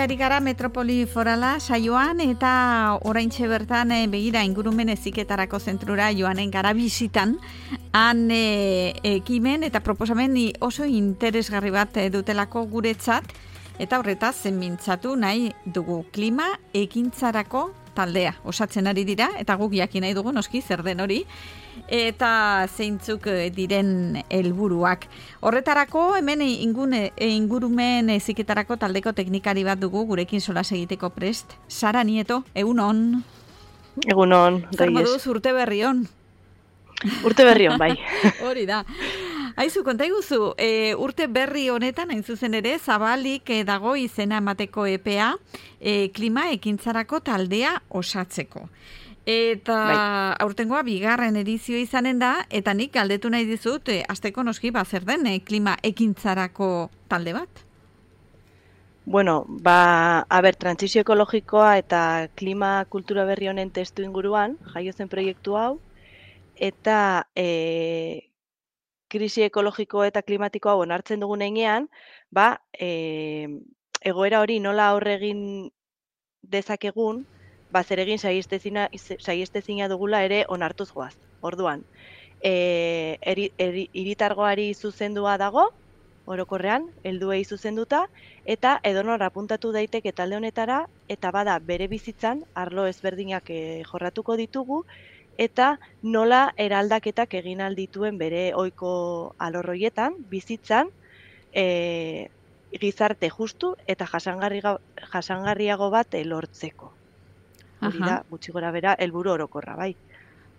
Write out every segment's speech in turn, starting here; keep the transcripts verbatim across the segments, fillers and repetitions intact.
ari gara Metropoli Forala saioan eta oraintxe bertan e, begira ingurumen heziketarako zentrura joanen gara bisitan han e, ekimen eta proposamen oso interesgarri bat dutelako guretzat eta horretaz mintzatu nahi dugu klima ekintzarako taldea osatzen ari dira eta guk jakin nahi dugu noski zer den hori eta zeintzuk diren helburuak. Horretarako hemen ingune, ingurumen heziketarako taldeko teknikari bat dugu gurekin solas egiteko prest. Sara Nieto, egunon. Egunon, zer moduz urte berrion. Urte berrion, bai. Hori da. Aizu, konta iguzu, e, urte berri honetan, hain zuzen ere, zabalik e, dago izena emateko epea e, klima ekintzarako taldea osatzeko. Eta bai. Aurtengoa bigarren edizio izanen da, eta nik galdetu nahi dizut, e, asteko noski ba zer den e, klima ekintzarako talde bat? Bueno, ba, a ber, trantsizio ekologikoa eta klima kultura berri honen testu inguruan, jaio zen proiektu hau, eta e, krisi ekologiko eta klimatiko hau onartzen dugun heinean, ba, e, egoera hori nola aurre egin dezakegun, ba, zer egin saiestezina dugula ere onartuz goaz. Orduan, e, eri, eri, iritargoari zuzendua dago, orokorrean, helduei zuzenduta, eta edonor apuntatu daiteke talde honetara, eta bada bere bizitzan, arlo ezberdinak e, jorratuko ditugu, eta nola eraldaketak egin aldituen bere ohiko alorroietan, bizitzan, e, gizarte justu eta jasangarriago bat lortzeko. Hori da, gutxi gora bera, helburu orokorra, bai.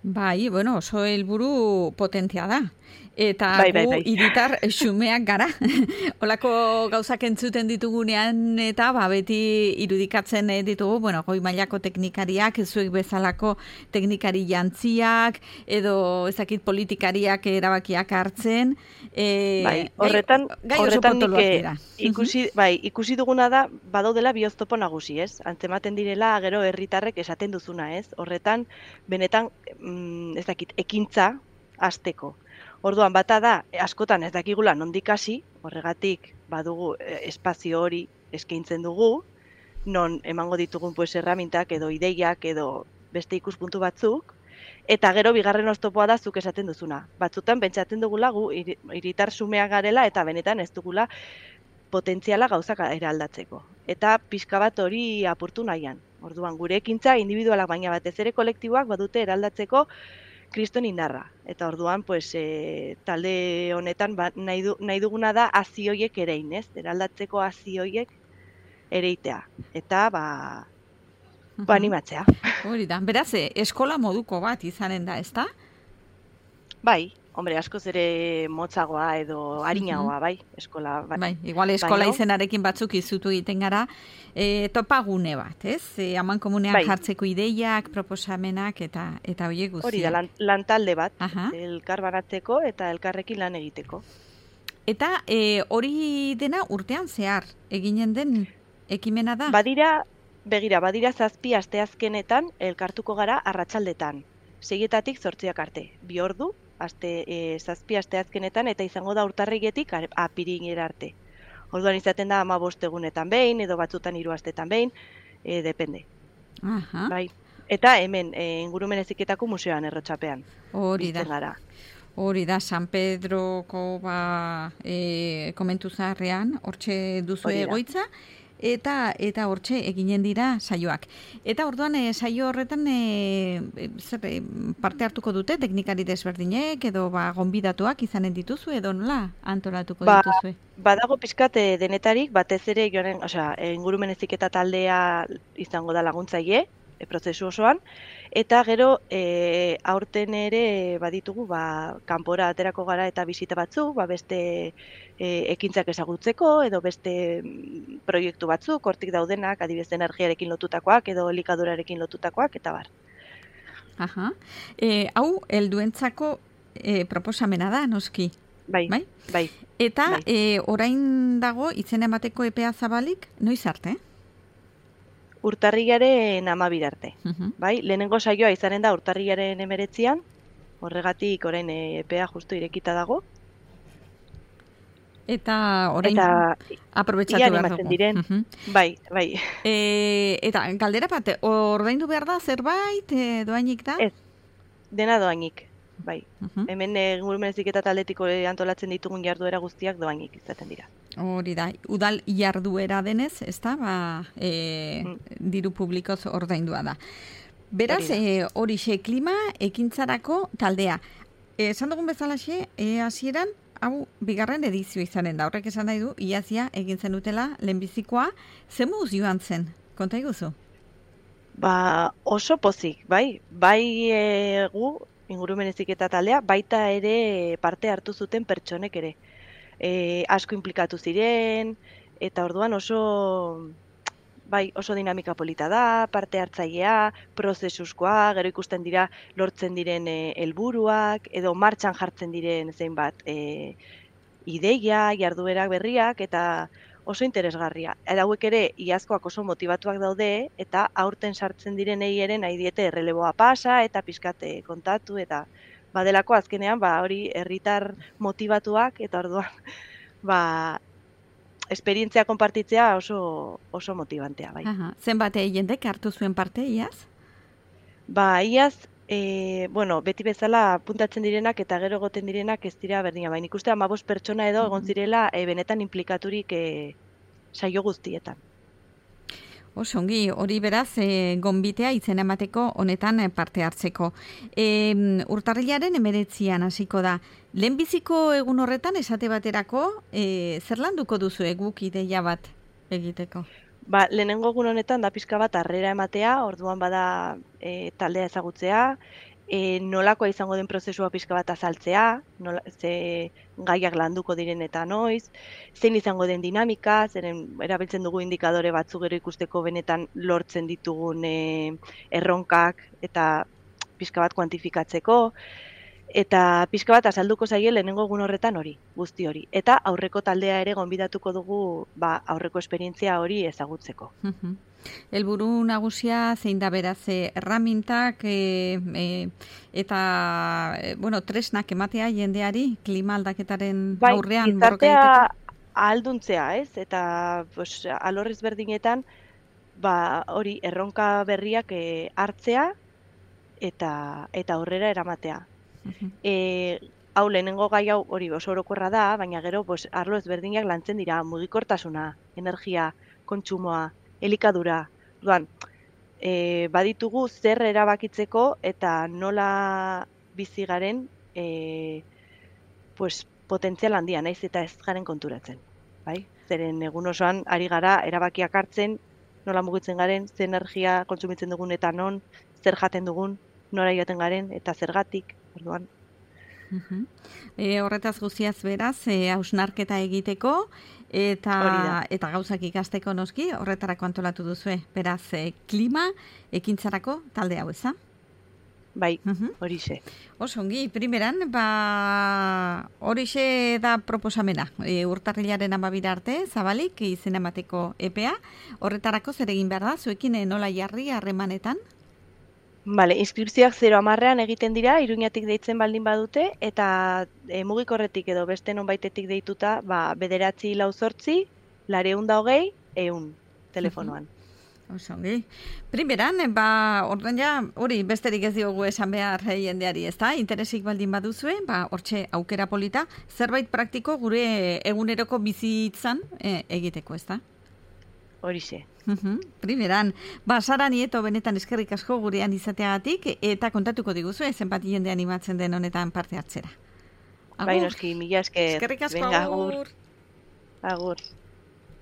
Bai, bueno, oso helburu potentia da. Eta bai, bai, gu bai. hiritar xumeak gara. Olako gauzak entzuten ditugunean eta ba, beti irudikatzen ditugu, bueno, goi mailako teknikariak, zuek bezalako teknikari jantziak, edo ezakit politikariak erabakiak hartzen. E, bai, horretan, gai, gai horretan nik ikusi, uh-huh. bai, ikusi duguna da, badaudela bi oztopo nagusi, ez? Antzematen direla, gero herritarrek esaten duzuna, ez? Horretan, benetan, mm, ez dakit, ekintza hasteko. Orduan, bata da, askotan ez dakigula nondik hasi, horregatik badugu espazio hori eskaintzen dugu, non emango ditugun pues erramintak edo ideiak edo beste ikuspuntu batzuk, eta gero bigarren oztopoa da zuk esaten duzuna. Batzutan pentsatzen dugula gu hiritar xumeak garela eta benetan ez dugula potentziala gauzak eraldatzeko. Eta pixka bat hori apurtu nahian. Orduan, gure ekintza individualak baina batez ere kolektiboak badute eraldatzeko kriston indarra. Eta orduan, pues, e, talde honetan ba, nahi, du, nahi duguna da hazi hoiek erein, ez? Eraldatzeko hazi hoiek ereitea. Eta, ba, uh-huh. ba animatzea. Hori da. Beraz, eskola moduko bat izanen da, ezta? Bai, hombre, askoz ere motzagoa edo arinagoa, bai, eskola. Bai, bai igual eskola bai, izenarekin batzuk izutu egiten gara, e, topagune bat, ez? E, aman komunean bai. Jartzeko ideiak, proposamenak eta eta horiek guztiak. Hori da, lan, lan talde bat, Aha. elkar banatzeko eta elkarrekin lan egiteko. Eta e, hori dena urtean zehar, eginen den ekimena da? Badira, begira, badira zazpi asteazkenetan elkartuko gara arratsaldetan. Seietatik zortziak arte, bi ordu, aste, e, zazpi asteazkenetan eta izango da urtarriletik apirilera arte. Orduan izaten da hamabost egunetan behin, edo batzutan hiru astetan behin, e, depende. Aha. Bai. Eta hemen, e, ingurumen heziketako museoan Errotxapean. Hori da. Gara. Hori da, San Pedroko ba, e, komentu zaharrean, hortxe duzu egoitza, eta eta hortxe eginen dira saioak. Eta orduan e, saio horretan e, zer, e, parte hartuko dute teknikari desberdinek edo ba, gonbidatuak izanen dituzu edo nola antolatuko ba, dituzue? Badago pizkat e, denetarik, batez ere joanen, osea, ingurumen heziketa taldea izango da laguntzaile, e, prozesu osoan, eta gero e, aurten ere baditugu ba, kanpora aterako gara eta bisita batzuk, ba, beste e, ekintzak ezagutzeko edo beste proiektu batzuk, hortik daudenak, adibidez energiarekin lotutakoak edo elikadurarekin lotutakoak, eta bar. Aha. E, hau, helduentzako e, proposamena da, noski? Bai, bai. bai eta bai. E, orain dago, izen emateko epea zabalik, noiz arte? Urtarrilaren amabira arte. Uh-huh. Bai, lehenengo saioa izanen da urtarrilaren emeretzian, horregatik orain epea justu irekita dago. Eta orain Eta aprobetxatu ia behar animatzen dugu. diren. Mhm. Bai, bai. E, eta galdera bat, ordaindu behar da zerbait, e, doainik da? Ez, dena doainik. Bai. Mhm. Hemen ingurumen heziketa taldetiko antolatzen ditugun jarduera guztiak doainik izaten dira. Hori da, udal jarduera denez, ez da, ba, e, Mm. diru publikoz ordaindua da. Beraz, Hori e, horixe klima ekintzarako taldea. Esan dugun bezalaxe, e, hasieran, hau bigarren edizio izanen da. Horrek esan nahi du, iazia egin zen dutela lehenbizikoa, zen moduz joan zen? Konta iguzu? Ba, oso pozik, bai. Bai e, gu, ingurumen heziketa taldea, baita ere parte hartu zuten pertsonek ere. E, asko inplikatu ziren, eta orduan oso, bai, oso dinamika polita da, parte hartzailea, prozesuskoa, gero ikusten dira lortzen diren e, helburuak, edo martxan jartzen diren zeinbat e, ideia, jarduerak berriak, eta oso interesgarria. Eta hauek ere, iazkoak oso motivatuak daude, eta aurten sartzen direnei ere nahi diete erreleboa pasa, eta pizkate kontatu, eta badelako azkenean, ba, hori herritar motivatuak, eta orduan, ba, esperientzia konpartitzea oso, oso motibantea, bai. Aha. Zenbat jendek hartu zuen parte, iaz? Ba, iaz, e, bueno, beti bezala puntatzen direnak eta gero egoten direnak ez dira berdina. Baina ikuste hamabost pertsona edo egon zirela e, benetan implikaturik e, saio guztietan. Oso ongi, hori beraz, e, gonbitea izen emateko honetan e, parte hartzeko. E, urtarrilaren emeretzian hasiko da. Lehenbiziko egun horretan esate baterako, e, zer landuko duzu guk ideia bat egiteko? Ba, lehenengo egun honetan da pizka bat harrera ematea, orduan bada e, taldea ezagutzea, e, nolakoa izango den prozesua pizka bat azaltzea, nola, ze gaiak landuko diren eta noiz, zein izango den dinamika, zeren erabiltzen dugu indikadore batzuk gero ikusteko benetan lortzen ditugun e, erronkak eta pizka bat kuantifikatzeko, eta pizka bat azalduko zaie lehenengo egun horretan hori, guzti hori. Eta aurreko taldea ere gonbidatuko dugu ba, aurreko esperientzia hori ezagutzeko. Helburu nagusia zein da beraz erramintak e, e, eta e, bueno, tresnak ematea jendeari klima aldaketaren bai, aurrean borroka egiteko. Ahalduntzea, ez? Eta pues, alorrez berdinetan ba, hori erronka berriak e, hartzea eta eta aurrera eramatea. E, hau lehenengo gai hau hori oso orokorra da, baina gero pues, arlo ezberdinak lantzen dira, mugikortasuna, energia, kontsumoa, elikadura. Duan, e, baditugu zer erabakitzeko eta nola bizi garen e, pues, potentzial handia, naiz eta ez garen konturatzen. Bai? Zeren egun osoan ari gara erabakiak hartzen, nola mugitzen garen, zer energia kontsumitzen dugun eta non, zer jaten dugun, nora joaten garen eta zergatik. Orduan. Uh-huh. E, horretaz guztiaz beraz, e, hausnarketa egiteko eta eta gauzak ikasteko noski, horretarako antolatu duzue. Beraz, e, klima ekintzarako talde hau, eza? Bai, uh-huh. Horixe. Oso ongi, primeran, ba, horixe da proposamena. E, urtarrilaren amabira arte, zabalik, izen emateko epea. Horretarako zer egin behar da, zuekin nola jarri harremanetan? Bale, inskripzioak zero hamarrean egiten dira, Iruñatik deitzen baldin badute, eta e, mugikorretik edo beste nonbaitetik deituta, ba, bederatzi lau zortzi, lareun da hogei, eun, telefonoan. Oso ongi. Primeran, ba, ordan ja, hori besterik ez diogu esan behar jendeari, ez da? Interesik baldin baduzue, ba, hortxe aukera polita, zerbait praktiko gure eguneroko bizitzan e, egiteko, ez da? Horixe. Uhum, primeran, ba, Sara Nieto benetan eskerrik asko gurean izateagatik eta kontatuko diguzu zenbat jende animatzen den honetan parte hartzera. Bai, noski, mila esker. Eskerrik asko, Venga, agur. Agur.